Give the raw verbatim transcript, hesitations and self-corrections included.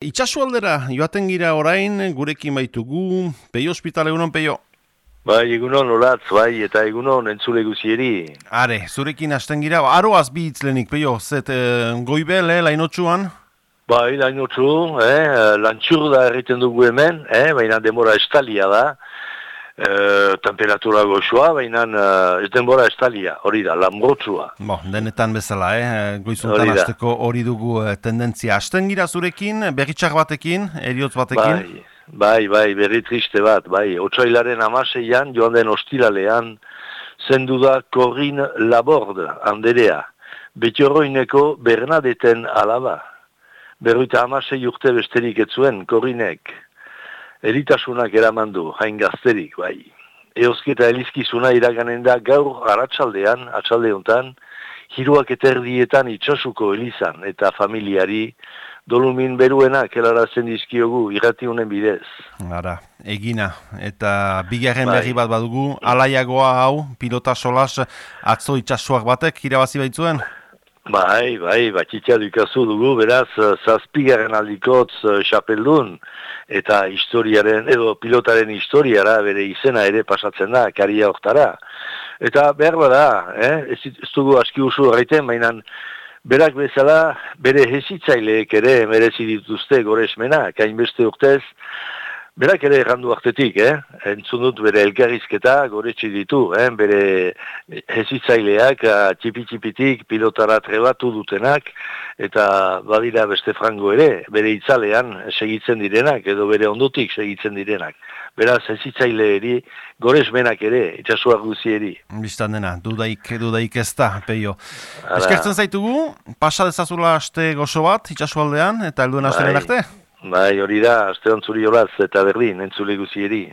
Itxasualdera joaten gira orain, gurekin baitugu, Peio Hospital, egunon Peio? Bai, egunon olatz, bai, eta egunon entzule guzieri. Are, zurekin hasten gira, aroaz bi hitzlenik, Peio, zet eh, goibel, eh, lainotxuan? Bai, lainotxu, eh, lantxur da erriten dugu hemen, eh, baina demora estalia da, eh, temperatura goxua, baina eh, ez denbora estalia, hori da, lambrotxua. Bo, denetan bezala, eh, goizuntan Hori da. hasteko hori dugu eh, tendentzia. Hasten gira zurekin, berritxar batekin, eriotz batekin? Bai, bai, bai, berri triste bat, bai, otsailaren amaseian, joan den ostiralean, zendu da Corinne Laborde, anderea, Betiorroineko Bernadeten alaba. Berruita amasei urte besterik etzuen, Corinnek. Eritasunak eramandu, hain gazterik, bai. Eosketa elizkizuna iraganen da gaur aratsaldean, atxaldeuntan, hiruak eterdietan itxasuko elizan eta familiari, dolumin beruenak helarazen dizkiogu irratiunen bidez. Ara, egina, eta bigarren Bai. berri bat badugu, alaiagoa hau, pilota solas, atzo itxasuak batek irabazi baitzuen? Bai, bai, batxitia dukazu dugu, beraz, zazpigarren aldikotz xapeldun, eta historiaren, edo pilotaren historiara bere izena ere pasatzen da, karia hortara. Eta behar bada, eh? ez, ez dugu aski usu horreiten, baina berak bezala bere hezitzaileek ere merezi dituzte goresmenak, hainbeste urtez, berak ere errandu artetik, eh? entzun dut bere elkarrizketa goretsi ditu, eh? bere hezitzaileak txipi-txipitik pilotara trebatu dutenak, eta badira beste frango ere, bere itzalean segitzen direnak, edo bere ondotik segitzen direnak. Beraz, hezitzaileeri goresmenak ere, itxasuak guzieri. Bistan dena, dudaik, dudaik ez da, Peio. Ara. Eskertzen zaitugu, pasa dezazula aste gozo bat, itxasualdean, eta helduen asteren arte? Bai, hori da, aste ontzuri olaz eta berdin, entzule guzieri.